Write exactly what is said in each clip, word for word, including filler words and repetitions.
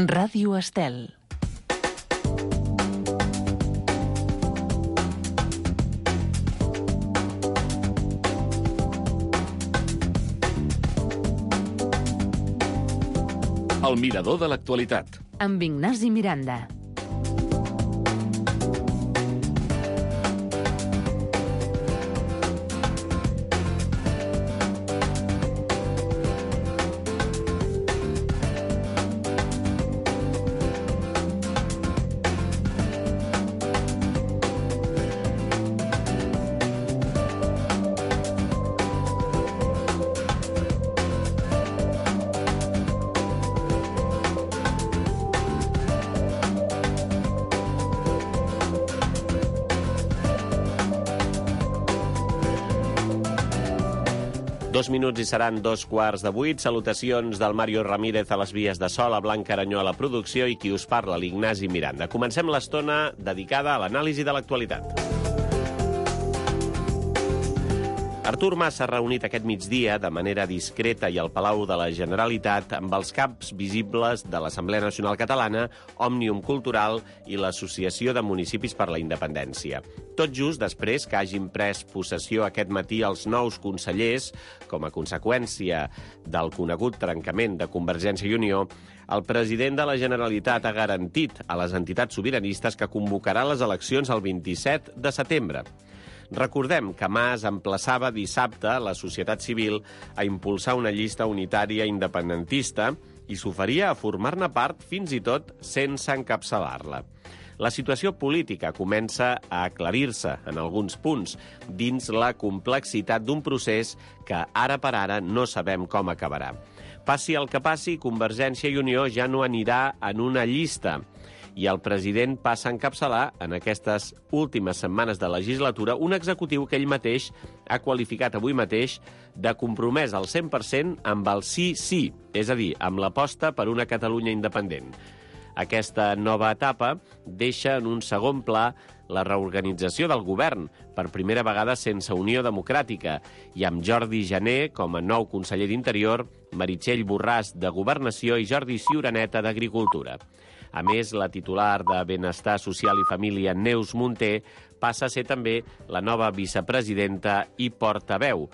Ràdio Estel. El mirador de l'actualitat. Amb Ignasi Miranda. Dos minuts i seran dos quarts de vuit. Salutacions del Mario Ramírez a les vies de so, la Blanca Aranyó a la producció i qui us parla, l'Ignasi Miranda. Comencem l'estona dedicada a l'anàlisi de l'actualitat. Artur Mas s'ha reunit aquest migdia de manera discreta i al Palau de la Generalitat amb els caps visibles de l'Assemblea Nacional Catalana, Òmnium Cultural i l'Associació de Municipis per la Independència. Tot just després que hagin pres possessió aquest matí els nous consellers, com a conseqüència del conegut trencament de Convergència i Unió, el president de la Generalitat ha garantit a les entitats sobiranistes que convocarà les eleccions el vint-i-set de setembre. Recordem que Mas emplaçava dissabte la societat civil a impulsar una llista unitària independentista i s'oferia a formar-ne part fins i tot sense encapçalar-la. La situació política comença a aclarir-se en alguns punts dins la complexitat d'un procés que ara per ara no sabem com acabarà. Passi el que passi, Convergència i Unió ja no anirà en una llista i el president passa a encapçalar en aquestes últimes setmanes de legislatura un executiu que ell mateix ha qualificat avui mateix de compromès al cent per cent amb el sí-sí, és a dir, amb l'aposta per una Catalunya independent. Aquesta nova etapa deixa en un segon pla la reorganització del govern, per primera vegada sense Unió Democràtica, i amb Jordi Jané com a nou conseller d'Interior, Meritxell Borràs de Governació i Jordi Ciuraneta d'Agricultura. A més, la titular de Benestar Social i Família, Neus Munté, passa a ser també la nova vicepresidenta i portaveu,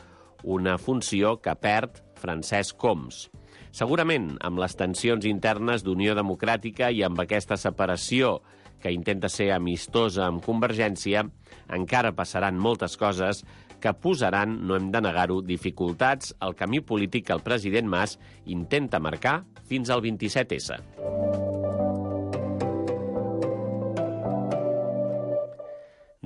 una funció que perd Francesc Homs. Segurament, amb les tensions internes d'Unió Democràtica i amb aquesta separació que intenta ser amistosa amb Convergència, encara passaran moltes coses que posaran, no hem de negar-ho, dificultats al camí polític que el president Mas intenta marcar fins al vint-i-set essa.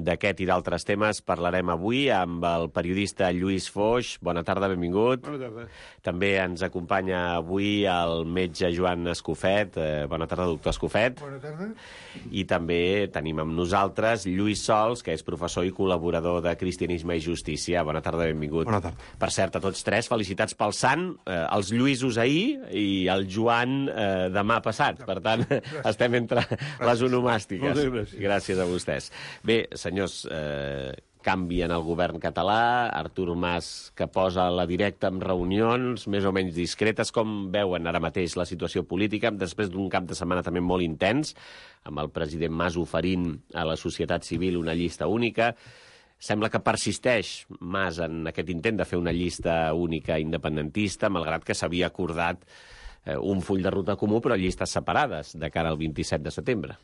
D'aquest i d'altres temes parlarem avui amb el periodista Lluís Foix. Bona tarda, benvingut. Bona tarda. També ens acompanya avui el metge Joan Escofet. Eh, bona tarda, doctor Escofet. Bona tarda. I també tenim amb nosaltres Lluís Sols, que és professor i col·laborador de Cristianisme i Justícia. Bona tarda, benvingut. Bona tarda. Per cert, a tots tres, felicitats pel sant, eh, els Lluïsos ahir i el Joan eh, demà passat. Per tant, gràcies. Estem entre les onomàstiques. Moltes gràcies. Gràcies a vostès. Bé, senyors, eh, canvien el govern català, Artur Mas que posa la directa en reunions més o menys discretes. Com veuen ara mateix la situació política després d'un cap de setmana també molt intens, amb el president Mas oferint a la societat civil una llista única? Sembla que persisteix Mas en aquest intent de fer una llista única independentista, malgrat que s'havia acordat eh, un full de ruta comú, però llistes separades de cara al vint-i-set de setembre.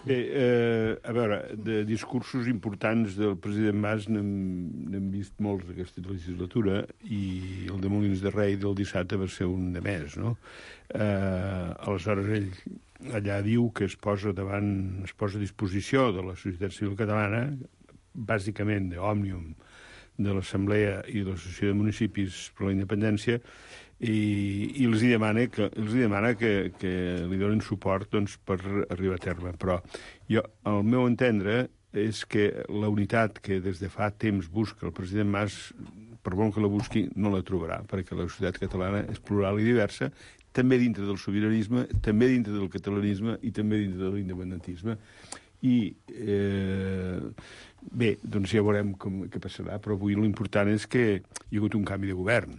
Bé, eh, a veure, de discursos importants del president Mas n'hem vist molts d'aquesta legislatura i el de Molins de Rei del dissabte va ser un de més, no? Eh, aleshores ell allà diu que es posa davant, es posa a disposició de la societat civil catalana, bàsicament d'Òmnium, de l'Assemblea i de l'Associació de Municipis per la Independència, i, i els hi demana que, els hi demana que, que li donin suport, doncs, per arribar a terme. Però jo, al meu entendre, és que la unitat que des de fa temps busca el president Mas, per molt que la busqui, no la trobarà, perquè la societat catalana és plural i diversa, també dintre del sobiranisme, també dintre del catalanisme i també dintre de l'independentisme. I, eh, bé, doncs ja veurem com, què passarà, però avui l'important és que hi ha hagut un canvi de govern.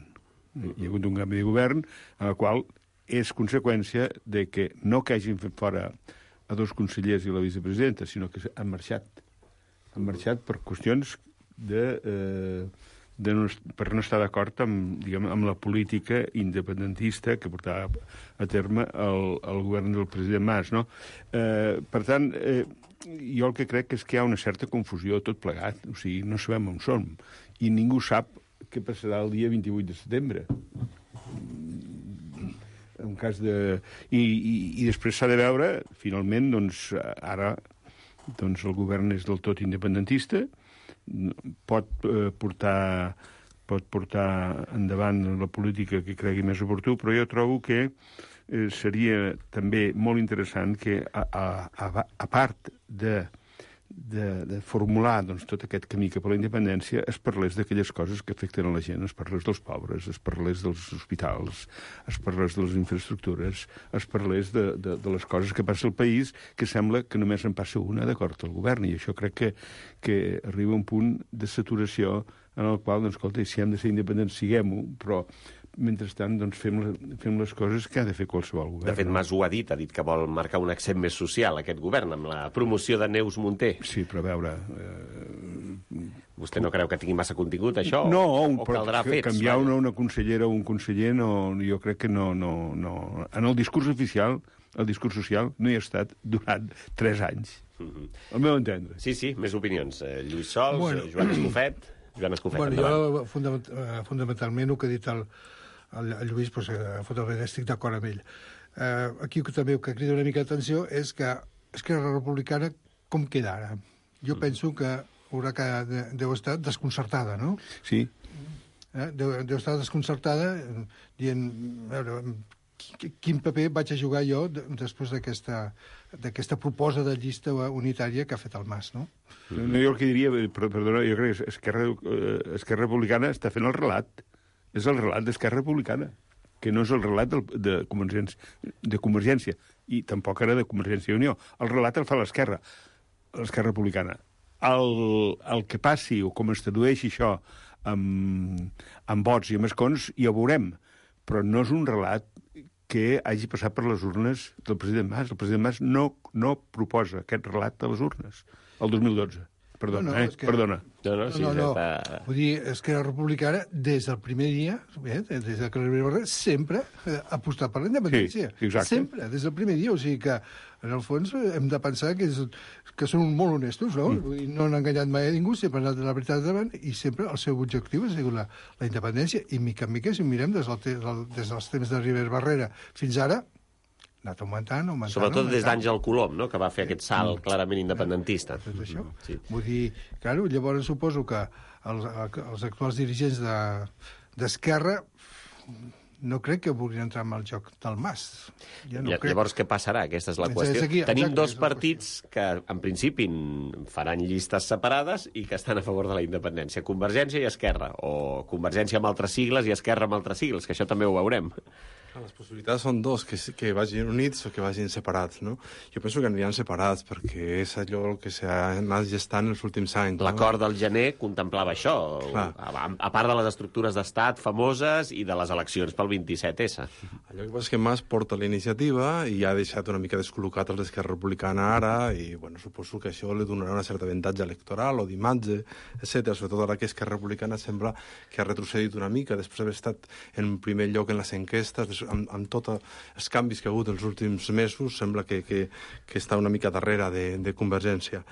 Hi ha hagut un canvi de govern en el qual és conseqüència de que no que hagin fet fora a dos consellers i la vicepresidenta, sinó que han marxat. Han marxat per qüestions de... Eh, de no, per no estar d'acord amb, diguem, amb la política independentista que portava a terme el, el govern del president Mas, no? Eh, per tant, eh, jo el que crec és que hi ha una certa confusió tot plegat, o sigui, no sabem on som, i ningú sap què passarà el dia vint-i-vuit de setembre. En cas de... I, i, i després s'ha de veure, finalment, doncs, ara doncs, el govern és del tot independentista, pot eh, portar pot portar endavant la política que cregui més oportú, però jo trobo que eh, seria també molt interessant que, a, a, a part de, de, de formular doncs, tot aquest camí cap a la independència, es parlés d'aquelles coses que afecten a la gent, es parlés dels pobres, es parlés dels hospitals, es parlés de les infraestructures, es parlés de, de, de les coses que passa al país, que sembla que només en passa una d'acord al govern, i això crec que, que arriba a un punt de saturació en el qual, doncs, escolta, si hem de ser independents, siguem-ho, però mentrestant, doncs, fem, la, fem les coses que ha de fer qualsevol govern. De fet, Mas ho ha dit, ha dit que vol marcar un accent més social, aquest govern, amb la promoció de Neus Munté. Sí, però a veure... Eh... Vostè no creu que tingui massa contingut, això? No, o, un, o caldrà que, fets? canviar una, una consellera o un conseller, no, jo crec que no, no, no... En el discurs oficial, el discurs social, no hi ha estat durant tres anys. Mm-hmm. Al meu entendre. Sí, sí, més opinions. Eh, Lluís Sols, bueno. Joan Escofet... Joan Escofet, bueno, endavant. Jo, fundament, fundamentalment, el que ha dit el, el, el Lluís, doncs, fundamentalment estic d'acord amb ell. Eh, aquí també el que crida una mica d'atenció és que Esquerra Republicana com queda ara? Jo mm. penso que haurà que deu estar desconcertada, no? Sí. Eh? Deu, deu estar desconcertada dient, a veure, quin paper vaig a jugar jo després d'aquesta d'aquesta proposta de llista unitària que ha fet el Mas, no? No, jo el que diria, perdona, jo crec que Esquerra, eh, Esquerra Republicana està fent el relat. És el relat d'Esquerra Republicana, que no és el relat del, de, Convergència, de Convergència, i tampoc era de Convergència i Unió. El relat el fa l'Esquerra, l'Esquerra Republicana. El, el que passi, o com es tradueixi això amb, amb vots i amb escons, ja ho veurem. Però no és un relat que hagi passat per les urnes del president Mas. El president Mas no, no proposa aquest relat de les urnes el dos mil dotze. Perdona, no, no, eh? Que... Perdona. No, no, sí, no, no. Pa... Vull dir, Esquerra Republicana, des del primer dia, eh, des de Carles Barrer, sempre ha apostat per la independència. Sí, exacte. Sempre, des del primer dia. O sigui que, en el fons, hem de pensar que, és, que són molt honestos, no? Mm. Vull dir, no han enganyat mai a ningú, sempre han anat de la veritat davant, i sempre el seu objectiu ha sigut la, la independència. I, mica en mica, si mirem des, del, del, des dels temps de Rivera Barrera fins ara, ha anat augmentant, augmentant... Sobretot augmentant. des d'Àngel Colom, no?, que va fer aquest salt mm. clarament independentista. Tot això. Sí. Vull dir, claro, llavors suposo que els, els actuals dirigents d'Esquerra de, no crec que vulguin entrar en el joc del Mas. Ja no crec. Llavors, què passarà? Aquesta és la qüestió. Aquí, Tenim exacte, dos partits que, en principi, faran llistes separades i que estan a favor de la independència. Convergència i Esquerra, o Convergència amb altres sigles i Esquerra amb altres sigles, que això també ho veurem. Les possibilitats són dos, que, que vagin units o que vagin separats, no? Jo penso que aniran separats, perquè és allò que s'ha anat gestant els últims anys. L'acord no? del gener contemplava això, a, a part de les estructures d'estat famoses i de les eleccions pel vint-i-set essa. Allò que passa és que Mas porta la iniciativa i ha deixat una mica descol·locat els d'Esquerra Republicana ara, i bueno, suposo que això li donarà una certa avantatge electoral o d'imatge, etcètera. Sobretot ara que Esquerra Republicana sembla que ha retrocedit una mica, després d'haver estat en primer lloc en les enquestes, amb, amb tots els canvis que ha hagut els últims mesos, sembla que, que, que està una mica darrere de, de Convergència.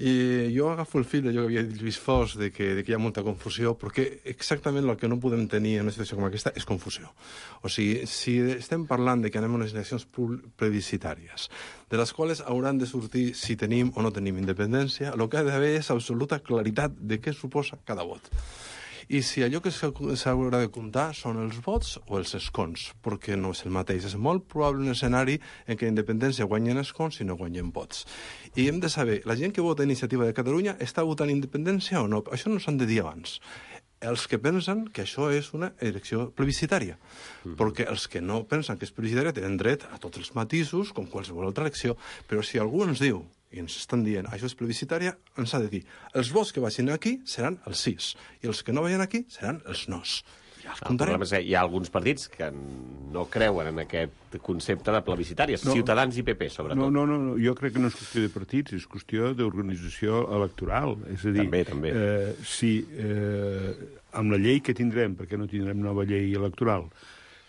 I jo agafo el fil d'allò que havia dit Lluís Fos, de que, de que hi ha molta confusió, perquè exactament el que no podem tenir en una situació com aquesta és confusió. O sigui, si estem parlant de que anem a unes eleccions plebiscitàries, de les quals hauran de sortir si tenim o no tenim independència, el que ha d'haver és absoluta claritat de què suposa cada vot. I si allò que s'haurà de comptar són els vots o els escons, perquè no és el mateix. És molt probable un escenari en què la independència guanyen escons i no guanyen vots. I hem de saber, la gent que vota Iniciativa de Catalunya està votant independència o no? Això no s'han de dir abans. Els que pensen que això és una elecció plebiscitària, mm-hmm. perquè els que no pensen que és plebiscitària tenen dret a tots els matisos, com qualsevol altra elecció, però si algú ens diu i ens estan dient això és plebiscitària, ens ha de dir els vots que vagin aquí seran els sís i els que no vagin aquí seran els nos. El problema és que hi ha alguns partits que no creuen en aquest concepte de plebiscitari, No. Ciutadans i P P, sobretot. No, no, no, no, jo crec que no és qüestió de partits, és qüestió d'organització electoral. És a dir, També, també. Eh, si eh, amb la llei que tindrem, perquè no tindrem nova llei electoral,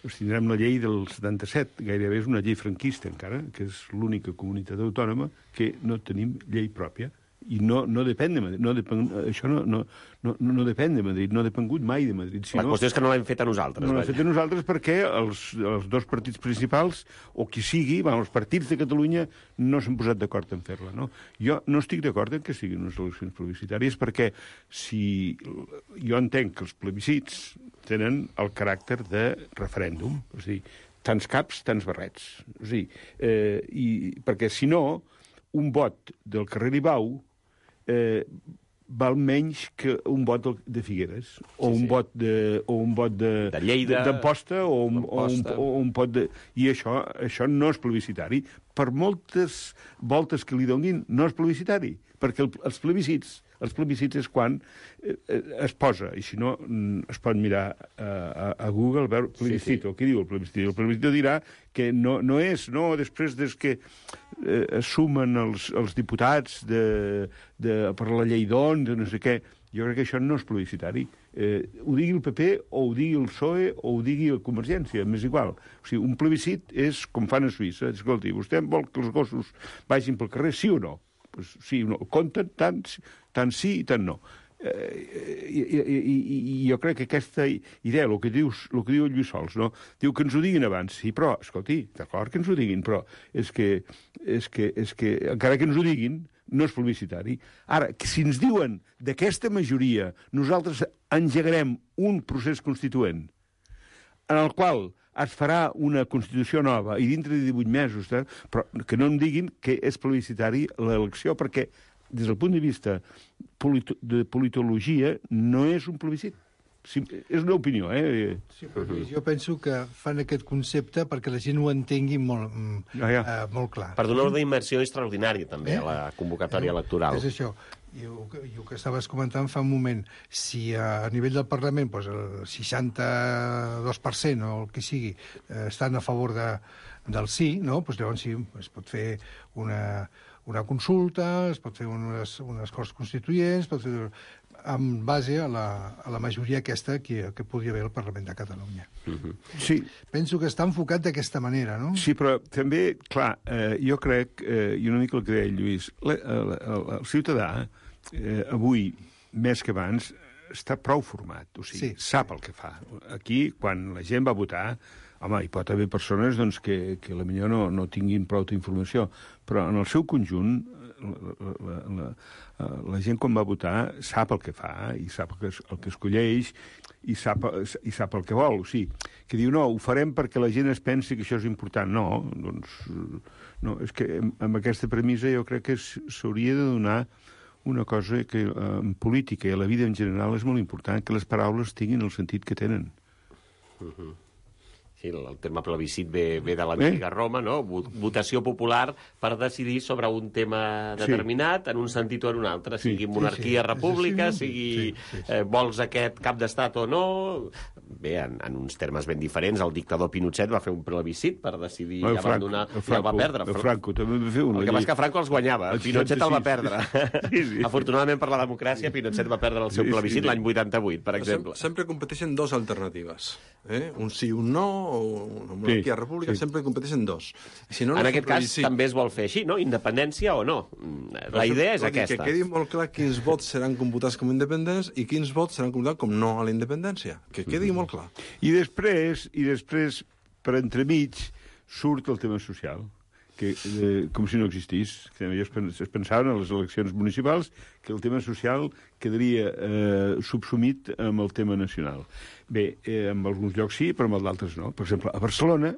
doncs tindrem la llei del setanta-set, gairebé és una llei franquista encara, que és l'única comunitat autònoma que no tenim llei pròpia. I no, no depèn de Madrid. No depèn, això no, no, no, no depèn de Madrid, no ha depengut mai de Madrid. Si La no, qüestió és que no l'hem fet a nosaltres. no l'hem vaja. fet a nosaltres perquè els, els dos partits principals, o qui sigui, bueno, els partits de Catalunya no s'han posat d'acord en fer-la. No? Jo no estic d'acord en que siguin unes eleccions plebiscitàries perquè si jo entenc que els plebiscits tenen el caràcter de referèndum, és a dir, tants caps, tants barrets. És a dir, eh, i, perquè si no, un vot del carrer Ibau eh, val menys que un vot de Figueres, o Sí, un sí. vot de, o un vot de, De Lleida, d'Amposta, o, un, o, un, d'Amposta. o un pot de... I això, això no és plebiscitari. Per moltes voltes que li donin, no és plebiscitari, perquè el, els plebiscits els plebiscits és quan eh, es posa, i si no mm, es pot mirar a, a, a Google, veure plebiscito, sí, sí. Què diu el plebiscito? El plebiscito dirà que no, no és, no, després des que eh, es sumen els, els diputats de, de, per la llei d'on, de no sé què, jo crec que això no és plebiscitari. Eh, ho digui el P P, o ho digui el P S O E, o ho digui la Convergència, m'és igual. O sigui, un plebiscit és com fan a Suïssa. Escolti, vostè vol que els gossos vagin pel carrer, sí o no? Pues sí o no. Compten tant, tant sí i tant no. Eh, i, i, i, i jo crec que aquesta idea, el que, dius, el que diu el Lluís Sols, no? Diu que ens ho diguin abans. Sí, però, escolti, d'acord que ens ho diguin, però és que, és que, és que encara que ens ho diguin, no és publicitari. Ara, que si ens diuen d'aquesta majoria nosaltres engegarem un procés constituent en el qual es farà una Constitució nova i dintre de divuit mesos, eh, però que no em diguin que és plebiscitari l'elecció, perquè des del punt de vista polito de politologia no és un plebiscit. Sí, és una opinió, eh? Sí, però jo penso que fan aquest concepte perquè la gent ho entengui molt, mm, Ah, ja. eh, molt clar. Per donar una immersió extraordinària, també, a la convocatòria electoral. És això. I el, que- i el que estaves comentant fa un moment, si a, a nivell del Parlament doncs el seixanta-dos per cent o el que sigui eh, estan a favor de, del sí, no? Doncs llavors sí, es pot fer una, una consulta, es pot fer unes, unes Corts Constituents, es pot fer en base a la, a la majoria aquesta que, que podria haver al Parlament de Catalunya. Sí, Penso que està enfocat d'aquesta manera, no? sí, però també, clar, eh, jo crec, eh, i una mica el que deia el Lluís, la, el, el, el ciutadà eh, avui, més que abans, està prou format, o sigui, Sí. sap el que fa. Aquí, quan la gent va votar, home, hi pot haver persones doncs, que, que potser no, no tinguin prou informació, però en el seu conjunt la, la, la, la, la gent quan va votar sap el que fa i sap el que, es- el que escolleix i sap, i sap el que vol. O sigui, que diu, no, ho farem perquè la gent es pensi que això és important. No, doncs, no, és que amb, amb aquesta premissa jo crec que s- s'hauria de donar una cosa que eh, en política i a la vida en general és molt important, que les paraules tinguin el sentit que tenen. Sí, el terme plebiscit ve, ve de l'antiga Roma, no? Vo- Votació popular per decidir sobre un tema determinat en un sentit o en un altre, Sí. sigui monarquia, Sí, sí. república, Sí, sí, sigui sí, sí. eh, vols aquest cap d'estat o no. Bé, en, en uns termes ben diferents, el dictador Pinochet va fer un plebiscit per decidir El abandonar Franco, el i el va Franco, perdre. el Franco també va fer una El que passa llei. és que Franco els guanyava, El Pinochet el va seixanta-sis. perdre. Sí, sí. Afortunadament per la democràcia, Pinochet va perdre el seu Sí, sí, plebiscit sí. l'any vuitanta-vuit, per exemple. Sem sempre competeixen dos alternatives. Eh? Un sí, un no, o una monarquia Sí, república, sí. sempre competeixen dos. I si no, no En és un aquest cas plebiscit. també es vol fer així, no? Independència o no? La idea és Vol dir aquesta. Que quedi molt clar quins vots seran computats com independents i quins vots seran computats com no a la independència. Que quedi molt clar. I després, i després, per entremig, surt el tema social, que, eh, com si no existís. Que ells pens- es pensaven a les eleccions municipals que el tema social quedaria eh, subsumit amb el tema nacional. Bé, eh, en alguns llocs sí, però en d'altres no. Per exemple, a Barcelona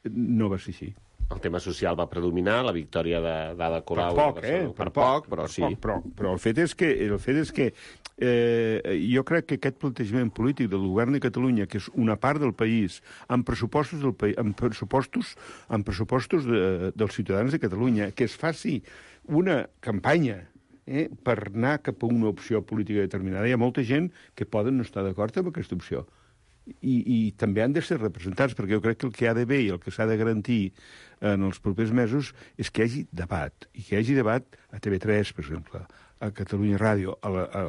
no va ser així. El tema social va predominar, la victòria de- d'Ada Per Colau. poc, a eh? Barcelona. Per poc, però sí. Poc, però, però el fet és que, el fet és que eh, jo crec que aquest plantejament polític del govern de Catalunya, que és una part del país, amb pressupostos, del país, amb pressupostos, amb pressupostos de, dels ciutadans de Catalunya, que es faci una campanya eh, per anar cap a una opció política determinada. Hi ha molta gent que poden no estar d'acord amb aquesta opció. i, i també han de ser representats, perquè jo crec que el que ha d'haver i el que s'ha de garantir en els propers mesos és que hi hagi debat, i que hi hagi debat a T V tres, per exemple, a Catalunya Ràdio, a, la, a,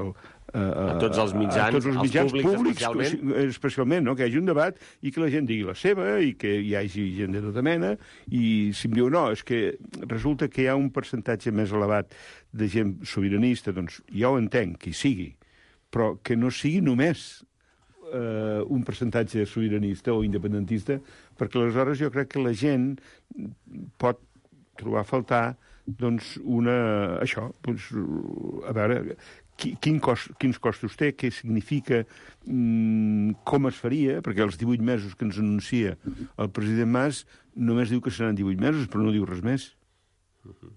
a, a, a tots els mitjans, a tots els mitjans públics, públics, especialment. especialment, no? Que hi hagi un debat i que la gent digui la seva i que hi hagi gent de tota mena, i si em diu no, és que resulta que hi ha un percentatge més elevat de gent sobiranista, doncs jo ho entenc, que hi sigui, però que no sigui només eh, un percentatge sobiranista o independentista, perquè aleshores jo crec que la gent pot trobar a faltar doncs una... això, doncs, a veure, quin cost, quins costos té, què significa, mmm, com es faria, perquè els divuit mesos que ens anuncia el president Mas només diu que seran divuit mesos, però no diu res més. Uh-huh.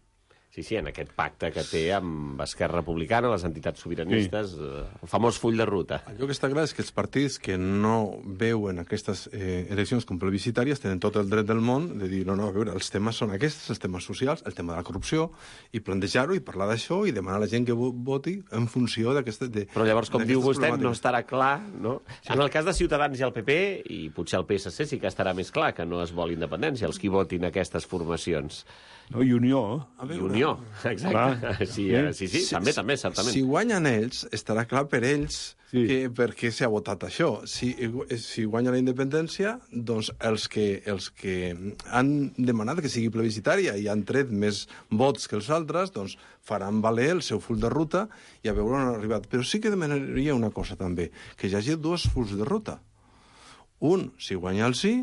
Sí, sí, en aquest pacte que té amb Esquerra Republicana, les entitats sobiranistes, sí. El famós full de ruta. Allò que està clar és que els partits que no veuen aquestes eh, eleccions com plebiscitàries tenen tot el dret del món de dir, no, no, a veure, els temes són aquests, els temes socials, el tema de la corrupció, i plantejar-ho i parlar d'això i demanar a la gent que voti en funció d'aquestes... Però llavors, com diu vostè, no estarà clar, no? Sí. En el cas de Ciutadans i el P P, i potser el P S C sí que estarà més clar que no es vol independència, els qui votin aquestes formacions. No, i Unió. I Unió, exacte. Sí, eh, sí, sí, també, també, certament. Si guanyen ells, estarà clar per ells sí. que, per què s'ha votat això. Si, si guanya la independència, doncs els que, els que han demanat que sigui plebiscitària i han tret més vots que els altres, doncs faran valer el seu full de ruta i a veure on han arribat. Però sí que demanaria una cosa també, que hi hagi dos fulls de ruta. Un, si guanya el sí,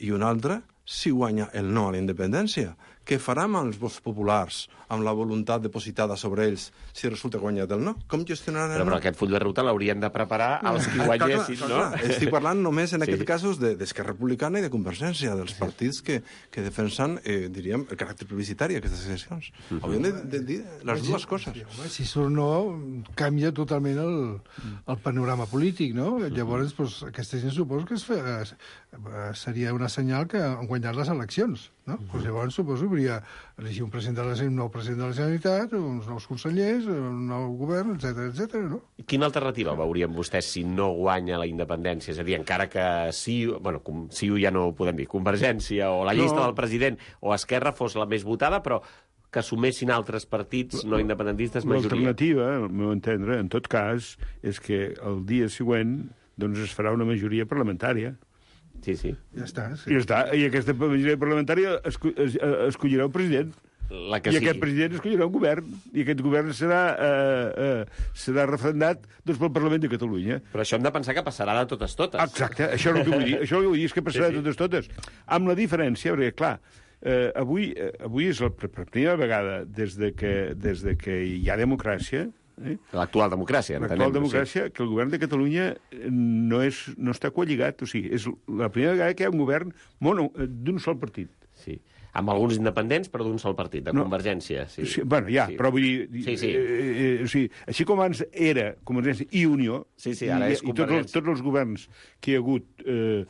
i un altre, si guanya el no a la independència. Què faran amb els vots populars, amb la voluntat depositada sobre ells, si resulta guanyat el no? Com gestionaran el però, no? Però aquest full de ruta l'haurien de preparar els qui guanyessin, clar, clar, no? Clar, clar. Estic parlant només, en sí. aquest casos, d'Esquerra Republicana i de Convergència, dels partits que, que defensen, eh, diríem, el caràcter publicitari d'aquestes eleccions. Uh -huh. Haurien de, de dir les dues coses. Home, si surt no, canvia totalment el, el panorama polític, no? Llavors, doncs, aquesta gent suposo que es fe, es, seria una senyal que han guanyat les eleccions, no? Uh -huh. Pues llavors suposo que hauria elegir un, president de la, un nou president de la Generalitat, uns nous consellers, un nou govern, etcètera, etcètera, no? Quina alternativa veurien vostès si no guanya la independència? És a dir, encara que sí, bueno, sí ja no ho podem dir, Convergència o la llista no. del president o Esquerra fos la més votada, però que assumessin altres partits no independentistes majoria. L'alternativa, al meu entendre, en tot cas, és que el dia següent doncs, es farà una majoria parlamentària. Sí, sí. Ja està. Sí. I ja està. I aquesta majoria parlamentària esco es escollirà un president. La que I sigui. aquest president escollirà un govern. I aquest govern serà, eh, eh, serà referendat doncs, pel Parlament de Catalunya. Però això hem de pensar que passarà de totes totes. Exacte. Això és el que vull dir. Això el que vull dir és que passarà sí, sí. de totes totes. Amb la diferència, perquè, clar, eh, avui, eh, avui és la primera vegada des de que, des de que hi ha democràcia. Eh? L'actual democràcia. L'actual democràcia, sí. Que el govern de Catalunya no, és, no està coalligat. O sigui, és la primera vegada que hi ha un govern d'un sol partit. Sí. Amb alguns independents, però d'un sol partit, de no. Convergència. Sí. Sí, bueno, ja, sí. Però vull dir... Sí, sí. Eh, eh, o sigui, així com abans era Convergència i Unió, sí, sí, ara i, és i tots, els, tots els governs que hi ha hagut eh,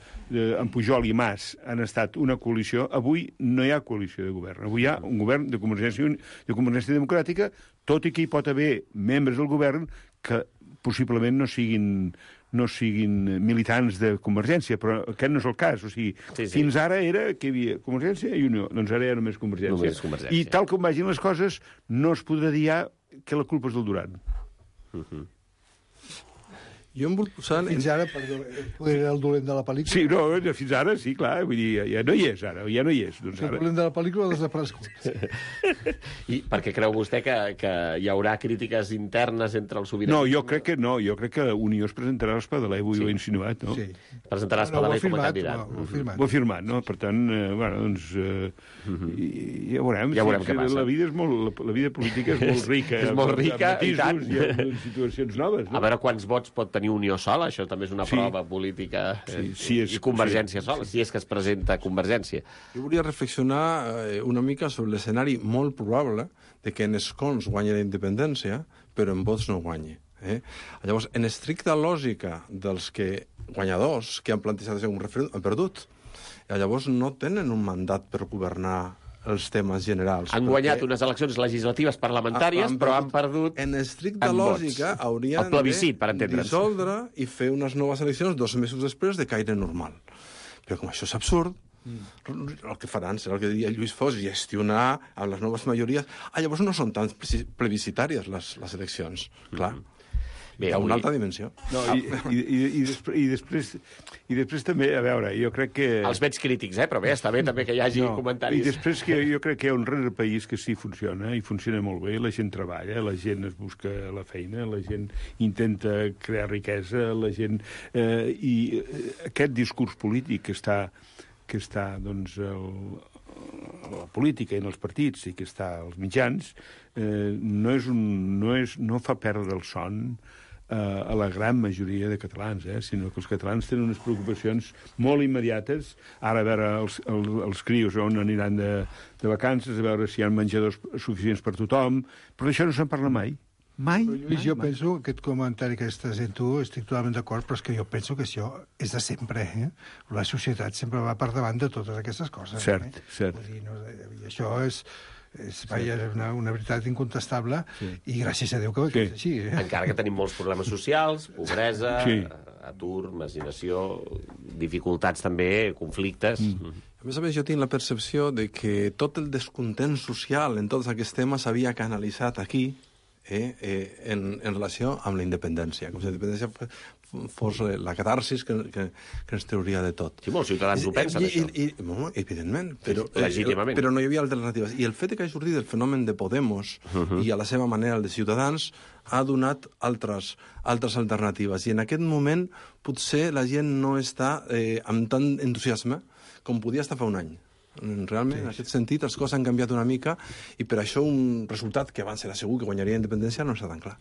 en Pujol i Mas han estat una coalició, avui no hi ha coalició de govern. Avui hi ha un govern de Convergència, de Convergència Democràtica, tot i que hi pot haver membres del govern que possiblement no siguin... no siguin militants de Convergència, però aquest no és el cas. O sigui, sí, sí. Fins ara era que hi havia Convergència i Unió. Doncs ara hi ha només Convergència. Només Convergència. I tal com vagin les coses, no es podrà dir ja que la culpa és del Duran. Uh-huh. Jo em vull posar... Fins ara, perdó, era el dolent de la pel·lícula? Sí, no, fins ara, sí, clar, vull dir, ja no hi és, ara, ja no hi és. Doncs el ara... dolent de la pel·lícula ha desaparegut. I per què creu vostè que, que hi haurà crítiques internes entre el sobiranisme? No, jo crec que no, jo crec que Unió es presentarà a l'Espadaler, avui sí. Ho he insinuat, no? Sí. Presentarà a l'Espadaler com a candidat. Ho ha firmat. Ho ha firmat, no? Per tant, eh, bueno, doncs, eh, uh-huh. i, ja veurem. Ja veurem sí, què passa. La vida, és molt, la, la vida política és molt rica. És molt rica, i tant. I amb situacions noves, no? A veure quants vots pot tenir Unió sola, això també és una sí. prova política. Eh, sí, sí és, I Convergència sí, sola, sí. si és que es presenta Convergència. Jo volia reflexionar eh, una mica sobre l'escenari molt probable de que en escons guanyi la independència, però en vots no guanyi. Eh? Llavors, en estricta lògica dels que guanyadors que han plantejat un referèndum han perdut. I llavors no tenen un mandat per governar els temes generals. Han guanyat unes eleccions legislatives parlamentàries, han, han però han perdut en estricta lògica haurien de dissoldre i fer unes noves eleccions dos mesos després de caire normal. Però com això és absurd, mm. el que faran serà el que diria Lluís Foix, gestionar amb les noves majories. Ah, llavors no són tan plebiscitàries les, les eleccions, clar. Mm. Bé, hi ha una altra dimensió. No, i, i, i, i, després, i, després, I després també, a veure, jo crec que... Els veig crítics, eh? Però bé, està bé també que hi hagi no, comentaris. I després que jo crec que hi ha un rere país que sí funciona, i funciona molt bé, la gent treballa, la gent es busca la feina, la gent intenta crear riquesa, la gent... Eh, I aquest discurs polític que està, que està doncs, el, la política i en els partits i que està als mitjans, eh, no, és un, no, és, no fa perdre el son a la gran majoria de catalans, eh? Sinó que els catalans tenen unes preocupacions molt immediates. Ara, a veure, els, els, els crios on aniran de, de vacances, a veure si hi ha menjadors suficients per tothom, però d'això no se'n parla mai. Mai, però, Lluís, mai, jo mai. penso, aquest comentari que estàs dient tu, estic totalment d'acord, però és que jo penso que això és de sempre, eh? La societat sempre va per davant de totes aquestes coses. Cert, eh? cert. Vull dir, no, i això és... és vaja, una, una veritat incontestable sí. I gràcies a Déu que, que sí. És així. Eh? Encara que tenim molts problemes socials, pobresa, sí. atur, marginació, dificultats també, conflictes... Mm. A més a més, jo tinc la percepció de que tot el descontent social en tots aquests temes s'havia canalitzat aquí eh, eh, en, en relació amb la independència. Com si la independència fos la catarsis que, que, que ens trauria de tot. Sí, molts ciutadans ho pensen, I, això. I, i, bueno, evidentment, però, sí, legítimament. Eh, però no hi havia alternatives. I el fet que hagi sortit el fenomen de Podemos uh-huh. i a la seva manera el de Ciutadans ha donat altres, altres alternatives. I en aquest moment potser la gent no està eh, amb tant entusiasme com podia estar fa un any. Realment, sí. En aquest sentit, les coses han canviat una mica i per això un resultat que abans era segur que guanyaria independència no està tan clar.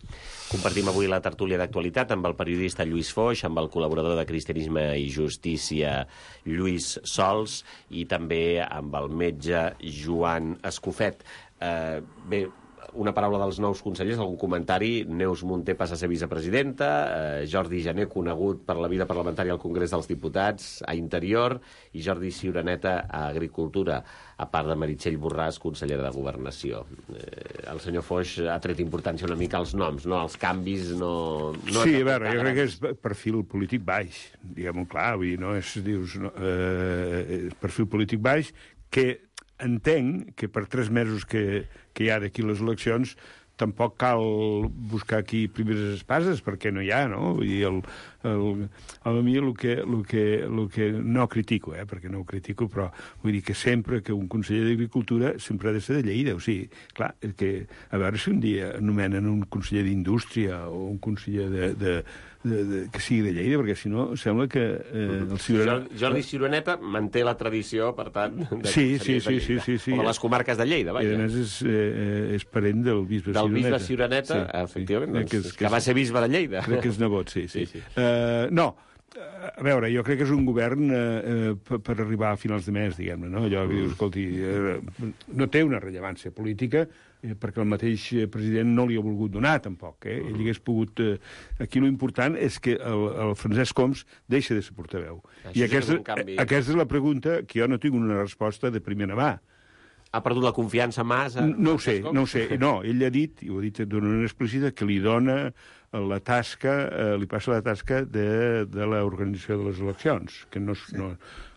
Compartim avui la tertúlia d'actualitat amb el periodista Lluís Foix, amb el col·laborador de Cristianisme i Justícia Lluís Sols i també amb el metge Joan Escofet. Eh, bé, una paraula dels nous consellers, algun comentari. Neus Munté passa a ser vicepresidenta, eh, Jordi Jané, conegut per la vida parlamentària al Congrés dels Diputats, a Interior, i Jordi Ciuraneta a Agricultura, a part de Meritxell Borràs, consellera de Governació. Eh, el senyor Foix ha tret importància una mica als noms, no? Els canvis no... no sí, a veure, jo crec que és perfil polític baix, diguem-ho clar, vull dir, no és, dius, no, eh, perfil polític baix, que entenc que per tres mesos que, que hi ha d'aquí les eleccions tampoc cal buscar aquí primeres espases, perquè no hi ha, no? Vull dir, el, el, a mi el que, el que, el que no critico, eh, perquè no ho critico, però vull dir que sempre que un conseller d'Agricultura sempre ha de ser de Lleida, o sigui, clar, que a veure si un dia anomenen un conseller d'Indústria o un conseller de, de, de, de, que sigui de Lleida, perquè si no sembla que eh, el Ciuraneta... Jordi Ciuraneta manté la tradició, per tant, de sí, sí, sí, sí, sí, sí. o de les comarques de Lleida, vaja. I a més és, eh, és parent del bisbe del Ciuraneta. Del bisbe Ciuraneta, sí, efectivament, doncs, que, és, que, que va ser bisbe de Lleida. Crec que és nebot, sí, sí. sí, sí. Uh, no, a veure, jo crec que és un govern eh, per, per arribar a finals de mes, diguem-ne, no? Allò que dius, escolti, eh, no té una rellevància política, eh, perquè el mateix president no li ha volgut donar, tampoc, eh? Ell hagués pogut... Eh, aquí l'important és que el, el Francesc Homs deixa de ser portaveu. Això I aquesta, és canvi... aquesta és la pregunta que jo no tinc una resposta de primera mà. Ha perdut la confiança a Mas? A... No ho sé, no ho sé. No, ell ha dit, i ho ha dit d'una manera explícita, que li dona la tasca, eh, li passa la tasca de, de l'organització de les eleccions, que no és... Sí. No,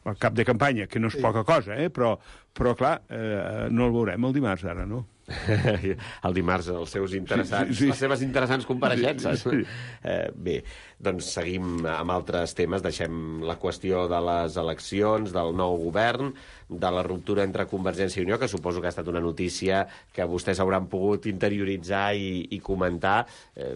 el cap de campanya, que no és sí. Poca cosa, eh? però, però clar, eh, no el veurem el dimarts ara, no? El dimarts, els seus interessants, sí, sí, sí. les seves interessants compareixences. Sí, sí. Eh, bé, doncs seguim amb altres temes, deixem la qüestió de les eleccions, del nou govern, de la ruptura entre Convergència i Unió, que suposo que ha estat una notícia que vostès hauran pogut interioritzar i, i comentar. Eh,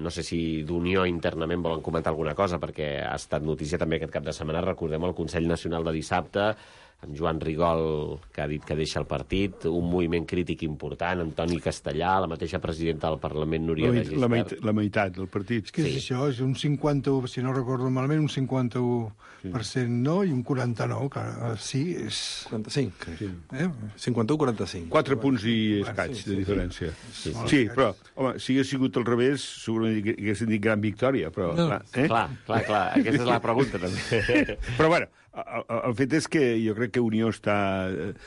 no sé si d'Unió internament volen comentar alguna cosa, perquè ha estat notícia també aquest cap de setmana, recordem el Consell Nacional de dissabte, amb Joan Rigol, que ha dit que deixa el partit, un moviment crític important, Antoni Castellà, la mateixa presidenta del Parlament, Núria de Gispert. La, meit, la meitat del partit. Què és sí. Això? És un cinquanta-u, si no recordo malament, un cinquanta-u per cent sí. No i un quaranta-nou, que sí, és... quaranta-cinc, crec. Sí. Eh? cinquanta-u quaranta-cinc. Quatre punts i escaig sí, de diferència. Sí, sí. sí, però, home, si hagués sigut al revés, segurament haguessin dit gran victòria, però... No. Clar, eh? clar, clar, clar, aquesta és la pregunta, també. Però, bueno, el, el fet és que jo crec que Unió està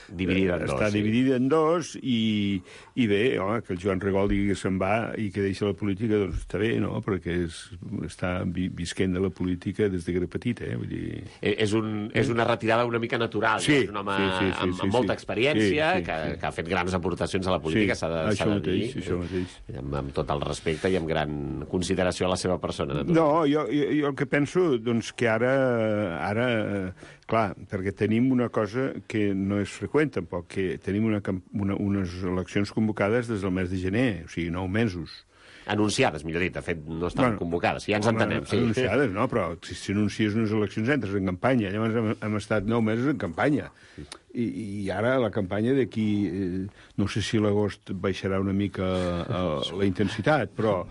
dividida en dos, està sí. dividida en dos i, i bé, home, que el Joan Rigol digui que se'n va i que deixa la política, doncs està bé, no? Perquè és, està vi, visquent de la política des de que era petita, eh? Vull dir... És, un, és una retirada una mica natural, sí, no? És un home sí, sí, sí, amb, sí, amb molta sí. experiència, sí, sí, que, sí. que ha fet grans aportacions a la política, sí, s'ha de, això de mateix, dir, això mateix. Amb, amb tot el respecte i amb gran consideració a la seva persona. Naturalment. No, jo, jo, jo el que penso, doncs, que ara, ara, clar, perquè tenim una cosa que no és freqüent, tampoc, que tenim una, una, unes eleccions convocades des del mes de gener, o sigui, nou mesos. Anunciades, millor dit, de fet, no estan bueno, convocades, ja ens home, entenem. Sí. Anunciades, no, però si, si anuncies unes eleccions entres en campanya, llavors hem, hem estat nou mesos en campanya. I, i ara la campanya d'aquí, eh, no sé si l'agost baixarà una mica eh, la intensitat, però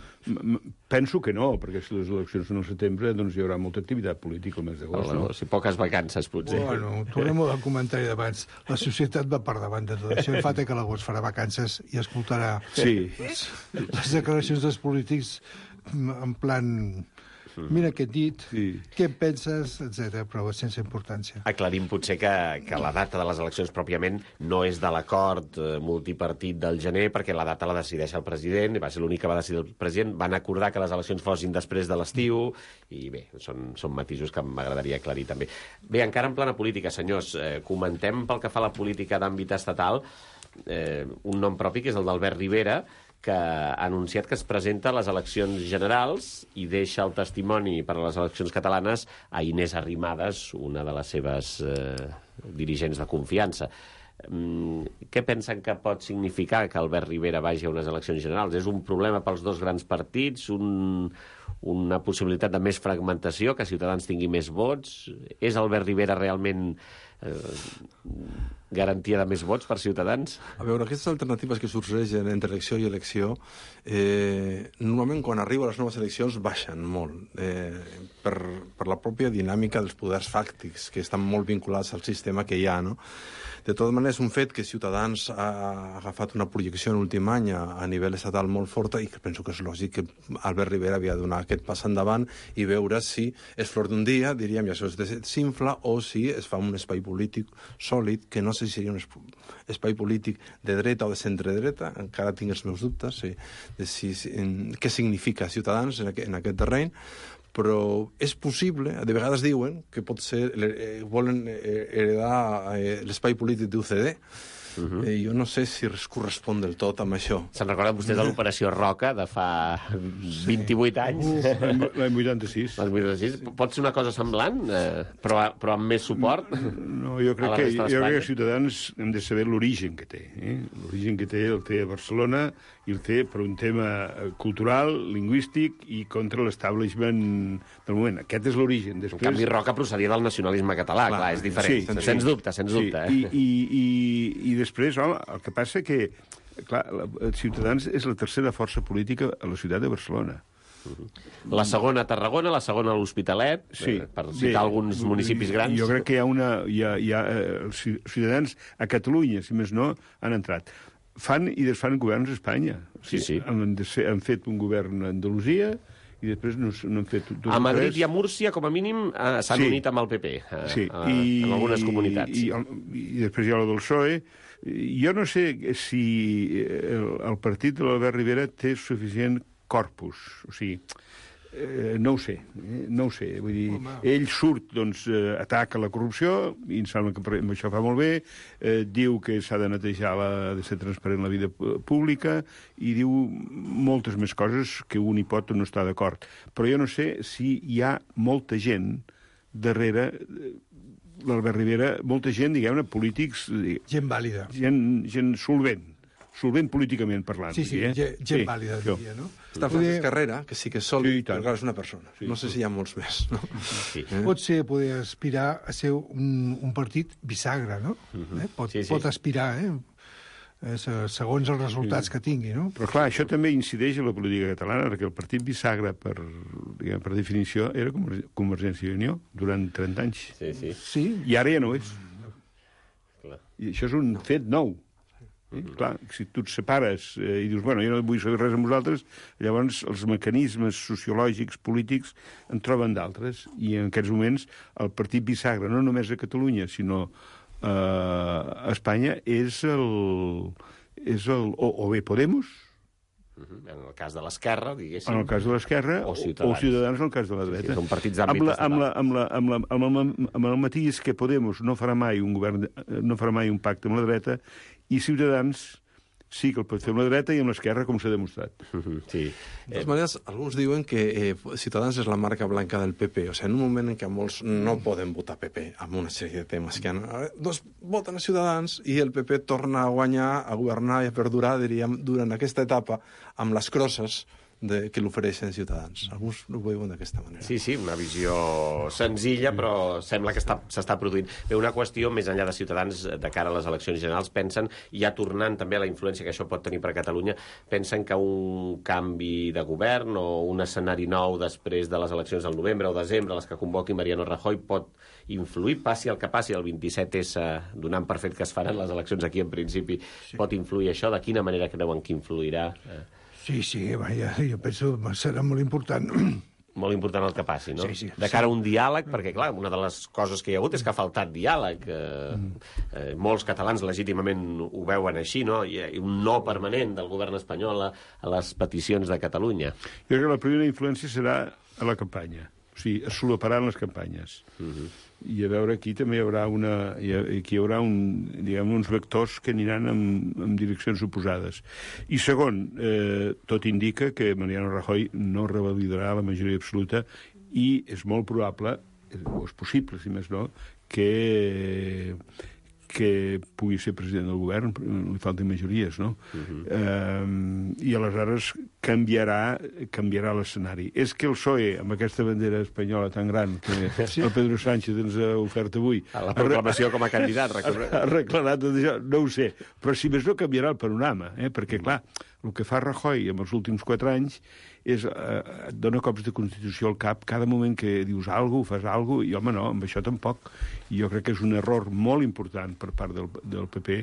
penso que no, perquè si les eleccions són al setembre, doncs hi haurà molta activitat política al mes d'agost. No? Si poques vacances, potser. Bueno, tornem al comentari d'abans. La societat va per davant de tot això. El fet que l'agost farà vacances i escoltarà sí. les, les declaracions dels polítics en plan... Mira què he dit, sí. Què en penses, etcètera, però sense importància. Aclarim potser que, que la data de les eleccions pròpiament no és de l'acord multipartit del gener, perquè la data la decideix el president, i va ser l'únic que va decidir el president. Van acordar que les eleccions fossin després de l'estiu, i bé, són, són matisos que m'agradaria aclarir també. Bé, encara en plana política, senyors, eh, comentem pel que fa a la política d'àmbit estatal eh, un nom propi, que és el d'Albert Rivera, que ha anunciat que es presenta a les eleccions generals i deixa el testimoni per a les eleccions catalanes a Inés Arrimadas, una de les seves eh, dirigents de confiança. Mm, què pensen que pot significar que Albert Rivera vagi a unes eleccions generals? És un problema pels dos grans partits? Un, una possibilitat de més fragmentació, que Ciutadans tingui més vots? És Albert Rivera realment... Eh, garantia de més vots per Ciutadans? A veure, aquestes alternatives que sorgeixen entre elecció i elecció, eh, normalment quan arriben les noves eleccions baixen molt, eh, per, per la pròpia dinàmica dels poders fàctics, que estan molt vinculats al sistema que hi ha, no? De totes maneres, un fet que Ciutadans ha agafat una projecció en l'últim any a, a nivell estatal molt forta, i que penso que és lògic que Albert Rivera havia de donar aquest pas endavant i veure si és flor d'un dia, diríem, i això es desinfla, o si es fa un espai polític sòlid, que no sé si seria un espai polític de dreta o de centre-dreta, encara tinc els meus dubtes sí, de si, si, en, què significa Ciutadans en aquest, en aquest terreny, però és possible, de vegades diuen que pot ser, eh, volen heredar eh, l'espai polític d'U C D. Uh-huh. eh, jo no sé si es correspon del tot amb això. Se'n recorden vostès de l'Operació Roca de fa vint-i-vuit anys? Uh, L'any vuitanta-sis. L'any vuitanta-sis. Pot ser una cosa semblant, eh, però, però amb més suport? No, jo crec, que, jo crec que Ciutadans hem de saber l'origen que té. Eh? L'origen que té el té a Barcelona i el té per un tema cultural, lingüístic i contra l'establishment del moment. Aquest és l'origen. Després... En canvi, Roca procedia del nacionalisme català, clar, clar és diferent. Sí, sens sí. dubte, sens dubte. Sí. Eh? I, i, i, I després, home, el que passa que clar, Ciutadans és la tercera força política a la ciutat de Barcelona. La segona a Tarragona, la segona a l'Hospitalet, sí, eh, per citar bé, alguns municipis grans. Jo crec que hi ha una... Hi ha, hi ha, els Ciutadans a Catalunya, si més no, han entrat. Fan i desfan governs a Espanya. O sigui, sí, sí. Han, han fet un govern a Andalusia i després no, no han fet... A Madrid i a Múrcia, com a mínim, eh, s'han sí. unit amb el P P, eh, sí. a, I, en algunes comunitats. I, i, i després hi ha la del P S O E. Jo no sé si el, el partit de l'Albert Rivera té suficient corpus. O sigui, eh, no ho sé, eh, no ho sé. Vull dir, Home. ell surt, doncs, eh, ataca la corrupció, i em sembla que amb això fa molt bé, eh, diu que s'ha de netejar, la, de ser transparent la vida pública, i diu moltes més coses que un hi pot o no està d'acord. Però jo no sé si hi ha molta gent darrere l'Albert Rivera, molta gent, diguem-ne, polítics... Gent vàlida. Gent, gent solvent. Solvent políticament parlant. Sí, sí, eh? gent sí, vàlida, diria, no? Està Francesc Carrera, que sí que és sòlid, sí, però és una persona. Sí, no sé si hi ha molts més. No? Sí. Eh? Pot ser, poder aspirar a ser un, un partit bisagra, no? Uh-huh. eh? Pot, sí, sí. pot aspirar, eh? segons els resultats sí. que tingui, no? Però clar, això també incideix en la política catalana, perquè el partit bisagra, per, diguem, per definició, era Convergència i Unió durant trenta anys. Sí, sí. sí. I ara ja no és. Clar. I això és un fet nou. Eh? Clar, si tu et separes eh, i dius, bueno, jo no vull saber res amb vosaltres, llavors els mecanismes sociològics, polítics, en troben d'altres. I en aquests moments el partit bisagra, no només a Catalunya, sinó eh, a Espanya, és el... És el o, o bé Podemos, en el cas de l'esquerra, diguéssim. en el cas de l'esquerra, o o, Ciutadans. o Ciutadans en el cas de la dreta. Sí, sí, són partits amb, d'àmbit la, amb, la, estatal. amb, la, amb, la, amb, la, amb, el, amb el matís que Podemos no farà mai un govern, no farà mai un pacte amb la dreta, i Ciutadans sí que el pot fer amb la dreta i amb l'esquerra, com s'ha demostrat. Sí. De totes maneres, alguns diuen que eh, Ciutadans és la marca blanca del P P. O sigui, en un moment en què molts no poden votar P P amb una sèrie de temes que han... Doncs voten a Ciutadans i el P P torna a guanyar, a governar i a perdurar, diríem, durant aquesta etapa amb les crosses de, que l'ofereixen Ciutadans. Alguns ho veuen d'aquesta manera. Sí, sí, una visió senzilla, però sembla que s'està produint. Bé, una qüestió, més enllà de Ciutadans, de cara a les eleccions generals, pensen, ja tornant també a la influència que això pot tenir per a Catalunya, pensen que un canvi de govern o un escenari nou després de les eleccions del novembre o desembre, les que convoqui Mariano Rajoy, pot influir, passi el que passi, el vint-i-set essa, donant per fet que es faran les eleccions aquí en principi, sí. Pot influir això? De quina manera creuen que influirà? Sí, sí, vaja, jo penso que serà molt important. Molt important el que passi, no? Sí, sí, de cara a un diàleg, perquè, clar, una de les coses que hi ha hagut és que ha faltat diàleg. Eh, eh, molts catalans legítimament ho veuen així, no? Hi ha un no permanent del govern espanyol a, a les peticions de Catalunya. Jo crec que la primera influència serà a la campanya. O sigui, es solaparan les campanyes. Uh-huh. I a veure, aquí també hi haurà, una, hi ha, aquí hi haurà un, diguem, uns vectors que aniran en, en direccions oposades. I segon, eh, tot indica que Mariano Rajoy no revalidarà la majoria absoluta i és molt probable, o és possible, si més no, que... que pugui ser president del govern, li falten majories, no? Uh-huh. eh, I aleshores canviarà, canviarà l'escenari. És que el P S O E, amb aquesta bandera espanyola tan gran que sí. el Pedro Sánchez ens ha ofert avui... A la proclamació com a candidat, recordem. Ha arreglat tot això, no ho sé. Però si més no canviarà el panorama, eh? Perquè, clar, el que fa Rajoy en els últims quatre anys és, eh, et dona cops de Constitució al cap cada moment que dius alguna cosa, fas alguna cosa, i home, no, amb això tampoc. I jo crec que és un error molt important per part del, del P P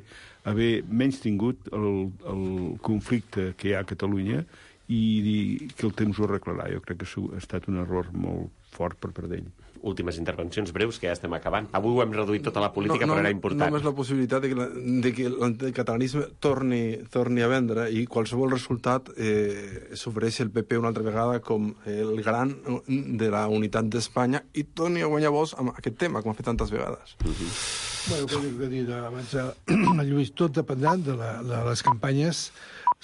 haver menys tingut el, el conflicte que hi ha a Catalunya i dir que el temps ho arreglarà. Jo crec que ha estat un error molt fort per part d'ell. Últimes intervencions breus, que ja estem acabant. Avui ho hem reduït tota la política, no, no, però era important. Només la possibilitat de que, la, de que l'anticatalanisme torni, torni a vendre i qualsevol resultat eh, s'ofereix el P P una altra vegada com el gran de la unitat d'Espanya i torni a guanyar vots amb aquest tema, com ha fet tantes vegades. Uh-huh. Bueno, com he dit abans, Lluís, tot dependrà de, la, de les campanyes